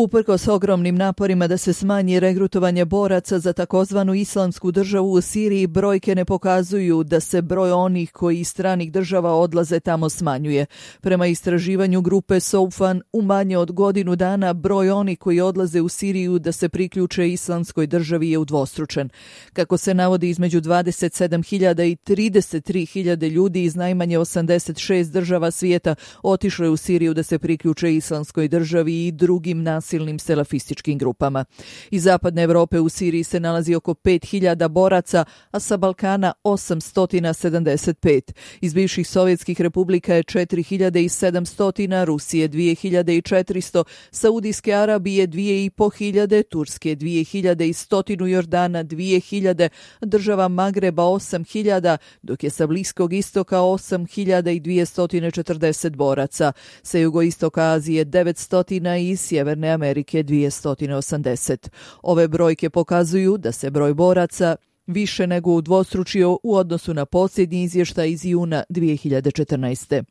Uprkos ogromnim naporima da se smanji regrutovanje boraca za takozvanu islamsku državu u Siriji, brojke ne pokazuju da se broj onih koji iz stranih država odlaze tamo smanjuje. Prema istraživanju grupe Soufan, u manje od godinu dana broj onih koji odlaze u Siriju da se priključe islamskoj državi je udvostručen. Kako se navodi, između 27.000 i 33.000 ljudi iz najmanje 86 država svijeta otišlo je u Siriju da se priključe islamskoj državi i drugim nasilnim selafističkim grupama. Iz zapadne Evrope u Siriji se nalazi oko 5.000 boraca, a sa Balkana 875. Iz bivših sovjetskih republika je 4.700, Rusije 2.400, Saudijske Arabije 2.500, Turske 2.100, Jordana 2.000, država Magreba 8.000, dok je sa Bliskog istoka 8.240 boraca, sa jugoistoka Azije 900 i Sjeverne Amerike 280. Ove brojke pokazuju da se broj boraca više nego udvostručio u odnosu na posljednji izvještaj iz juna 2014.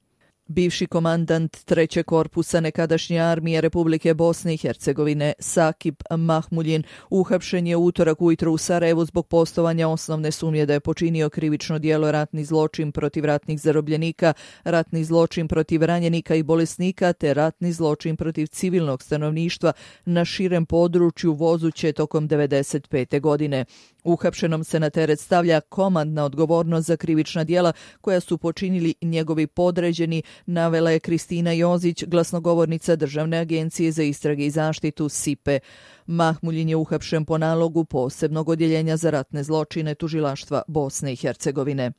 Bivši komandant trećeg korpusa nekadašnje armije Republike Bosne i Hercegovine Sakip Mahmuljin uhapšen je u utorak ujutro u Sarajevu zbog postojanja osnovne sumnje da je počinio krivično djelo ratni zločin protiv ratnih zarobljenika, ratni zločin protiv ranjenika i bolesnika te ratni zločin protiv civilnog stanovništva na širem području vozuće tokom 1995. godine. Uhapšenom se na teret stavlja komandna odgovornost za krivična djela koja su počinili njegovi podređeni, navela je Kristina Jozić, glasnogovornica Državne agencije za istrage i zaštitu SIPE. Mahmuljin je uhapšen po nalogu posebnog odjeljenja za ratne zločine Tužilaštva Bosne i Hercegovine.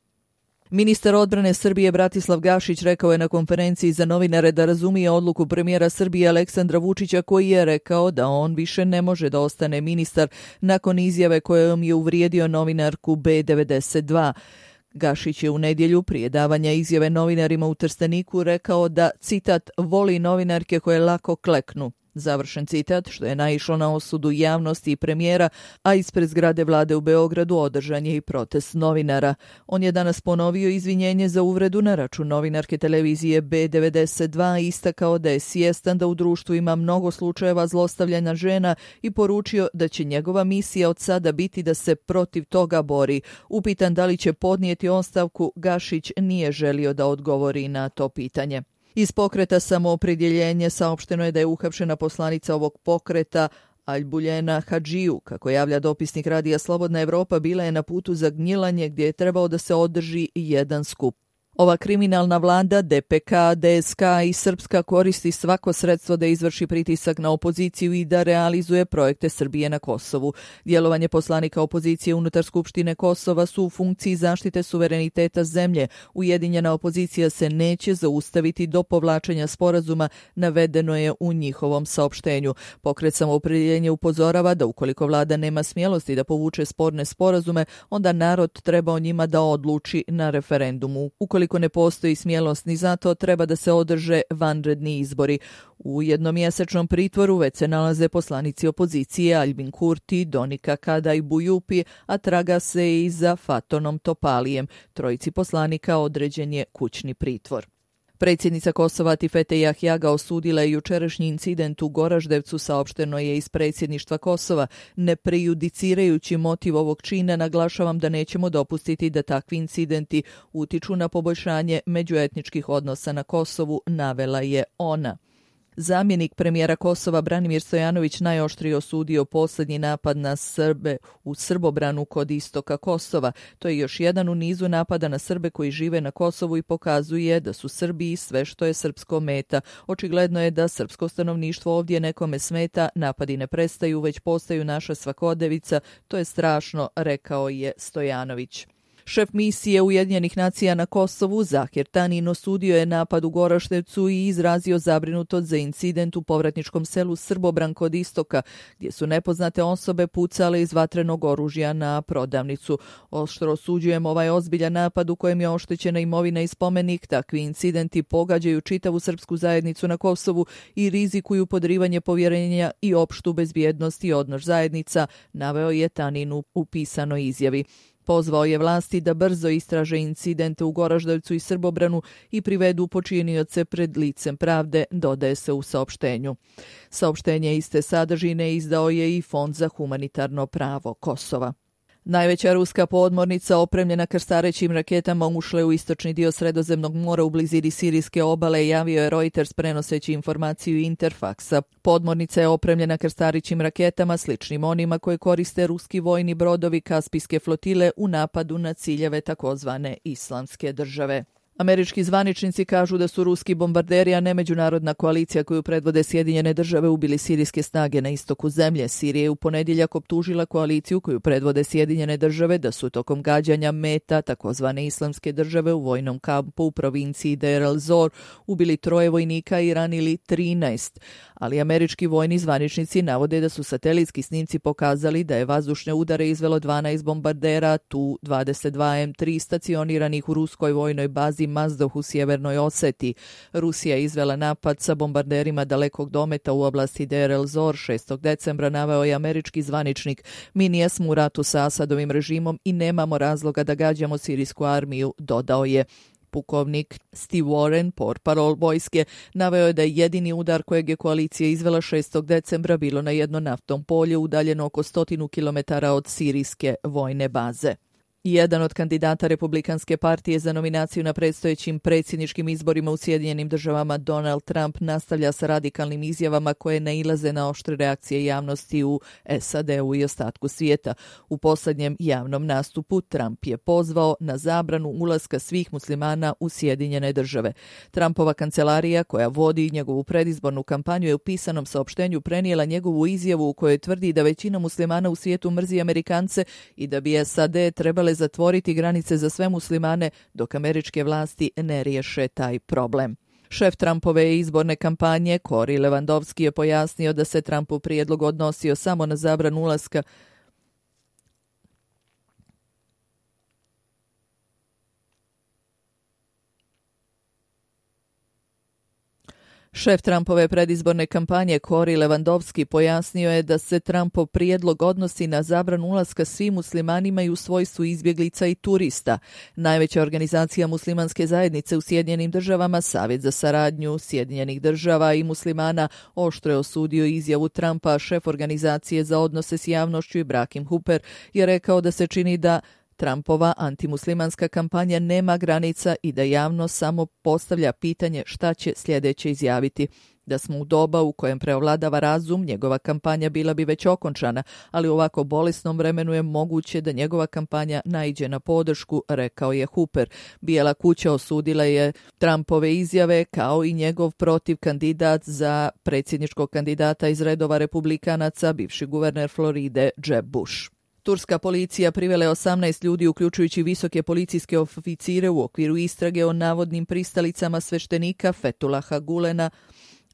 Ministar odbrane Srbije Bratislav Gašić rekao je na konferenciji za novinare da razumije odluku premijera Srbije Aleksandra Vučića, koji je rekao da on više ne može da ostane ministar nakon izjave kojom je uvrijedio novinarku B92. Gašić je u nedjelju prije davanja izjave novinarima u Trsteniku rekao da, citat, voli novinarke koje lako kleknu. Završen citat, što je naišlo na osudu javnosti i premijera, a ispred zgrade vlade u Beogradu održan je i protest novinara. On je danas ponovio izvinjenje za uvredu na račun novinarke televizije B92 i istakao da je svjestan da u društvu ima mnogo slučajeva zlostavljanja žena i poručio da će njegova misija od sada biti da se protiv toga bori. Upitan da li će podnijeti ostavku, Gašić nije želio da odgovori na to pitanje. Iz pokreta Samoopredjeljenje saopšteno je da je uhapšena poslanica ovog pokreta Albuljena Hadžiju. Kako javlja dopisnik Radija Slobodna Evropa, bila je na putu za Gnjilanje gdje je trebao da se održi jedan skup. Ova kriminalna vlada, DPK, DSK i Srpska koristi svako sredstvo da izvrši pritisak na opoziciju i da realizuje projekte Srbije na Kosovu. Djelovanje poslanika opozicije unutar Skupštine Kosova su u funkciji zaštite suvereniteta zemlje. Ujedinjena opozicija se neće zaustaviti do povlačenja sporazuma, navedeno je u njihovom saopštenju. Pokret Samoopredjeljenje upozorava da ukoliko vlada nema smjelosti da povuče sporne sporazume, onda narod treba o njima da odluči na referendumu. Ukoliko ne postoji smjelost ni za to, treba da se održe vanredni izbori. U jednomjesečnom pritvoru već se nalaze poslanici opozicije Albin Kurti, Donika Kada i Bujupi, a traga se i za Fatonom Topalijem. Trojici poslanika određen je kućni pritvor. Predsjednica Kosova Atifete Jahjaga osudila je jučerašnji incident u Goraždevcu, saopšteno je iz predsjedništva Kosova. Ne prejudicirajući motiv ovog čina, naglašavam da nećemo dopustiti da takvi incidenti utiču na poboljšanje međuetničkih odnosa na Kosovu, navela je ona. Zamjenik premijera Kosova Branimir Stojanović najoštrije osudio posljednji napad na Srbe u Srbobranu kod istoka Kosova. To je još jedan u nizu napada na Srbe koji žive na Kosovu i pokazuje da su Srbi sve što je srpsko meta. Očigledno je da srpsko stanovništvo ovdje nekome smeta, napadi ne prestaju, već postaju naša svakodnevica. To je strašno, rekao je Stojanović. Šef misije Ujedinjenih nacija na Kosovu, Zahir Tanin, osudio je napad u Goraždevcu i izrazio zabrinutost za incident u povratničkom selu Srbobran kod istoka, gdje su nepoznate osobe pucale iz vatrenog oružja na prodavnicu. Oštro osuđujemo ovaj ozbiljan napad u kojem je oštećena imovina i spomenik. Takvi incidenti pogađaju čitavu srpsku zajednicu na Kosovu i rizikuju podrivanje povjerenja i opštu bezbjednost i odnos zajednica, naveo je Tanin u pisanoj izjavi. Pozvao je vlasti da brzo istraže incidente u Goraždevcu i Srbobranu i privedu počinioce pred licem pravde, dodaje se u saopštenju. Saopštenje iste sadržine izdao je i Fond za humanitarno pravo Kosova. Najveća ruska podmornica opremljena krstarećim raketama ušla je u istočni dio Sredozemnog mora u blizini sirijske obale, javio je Reuters prenoseći informaciju Interfaksa. Podmornica je opremljena krstarećim raketama sličnim onima koje koriste ruski vojni brodovi Kaspijske flotile u napadu na ciljeve takozvane Islamske države. Američki zvaničnici kažu da su ruski bombarderi, a ne međunarodna koalicija koju predvode Sjedinjene države, ubili sirijske snage na istoku zemlje. Sirija je u ponedjeljak optužila koaliciju koju predvode Sjedinjene države da su tokom gađanja meta takozvane Islamske države u vojnom kampu u provinciji Deir el-Zor ubili 3 vojnika i ranili 13. Ali američki vojni zvaničnici navode da su satelitski snimci pokazali da je vazdušne udare izvelo 12 bombardera Tu-22 M3 stacioniranih u ruskoj vojnoj bazi Mazdoh u sjevernoj Oseti. Rusija je izvela napad sa bombarderima dalekog dometa u oblasti Deir el-Zor 6. decembra, naveo je američki zvaničnik. Mi nijesmo u ratu sa Asadovim režimom i nemamo razloga da gađamo sirijsku armiju, dodao je. Pukovnik Steve Warren, portparol vojske, naveo je da je jedini udar kojeg je koalicija izvela 6. decembra bilo na jedno naftnom polje udaljeno oko 100 km od sirijske vojne baze. Jedan od kandidata Republikanske partije za nominaciju na predstojećim predsjedničkim izborima u Sjedinjenim državama, Donald Trump, nastavlja sa radikalnim izjavama koje nailaze na oštre reakcije javnosti u SAD-u i ostatku svijeta. U posljednjem javnom nastupu Trump je pozvao na zabranu ulaska svih muslimana u Sjedinjene države. Trumpova kancelarija, koja vodi njegovu predizbornu kampanju, je u pisanom saopštenju prenijela njegovu izjavu u kojoj tvrdi da većina muslimana u svijetu mrzi Amerikance i da bi SAD trebale zatvoriti granice za sve muslimane dok američke vlasti ne riješe taj problem. Šef Trumpove izborne kampanje, Cory Lewandowski, je pojasnio da se Trumpov prijedlog odnosio samo na zabranu ulaska Šef Trumpove predizborne kampanje Cory Lewandowski pojasnio je da se Trumpov prijedlog odnosi na zabranu ulaska svim muslimanima i u svojstvu izbjeglica i turista. Najveća organizacija muslimanske zajednice u Sjedinjenim državama, Savjet za saradnju Sjedinjenih država i muslimana, oštro je osudio izjavu Trumpa. Šef organizacije za odnose s javnošću Ibrahim Hooper je rekao da se čini da Trumpova antimuslimanska kampanja nema granica i da javnost samo postavlja pitanje šta će sljedeće izjaviti. Da smo u doba u kojem preovladava razum, njegova kampanja bila bi već okončana, ali u ovako bolesnom vremenu je moguće da njegova kampanja naiđe na podršku, rekao je Hooper. Bijela kuća osudila je Trumpove izjave kao i njegov protiv kandidat za predsjedničkog kandidata iz redova republikanaca, bivši guverner Floride Jeb Bush. Turska policija privela je 18 ljudi, uključujući visoke policijske oficire, u okviru istrage o navodnim pristalicama sveštenika Fethullaha Gulena,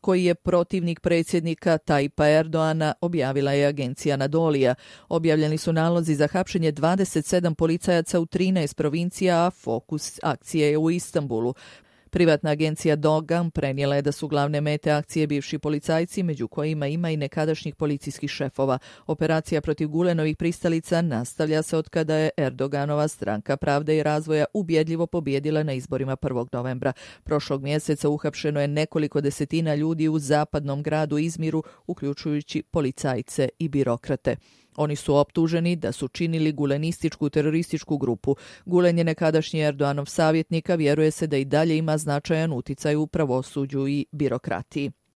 koji je protivnik predsjednika Tajpa Erdoana, objavila je agencija Anadolija. Objavljeni su nalozi za hapšenje 27 policajaca u 13 provincija, a fokus akcije je u Istanbulu. Privatna agencija Dogam prenijela je da su glavne mete akcije bivši policajci, među kojima ima i nekadašnjih policijskih šefova. Operacija protiv Gulenovih pristalica nastavlja se od kada je Erdoganova stranka Pravde i razvoja ubjedljivo pobijedila na izborima 1. novembra. Prošlog mjeseca uhapšeno je nekoliko desetina ljudi u zapadnom gradu Izmiru, uključujući policajce i birokrate. Oni su optuženi da su činili gulenističku terorističku grupu. Gulen je nekadašnji Erdoganov savjetnik, a vjeruje se da i dalje ima značajan uticaj u pravosuđu i birokratiji.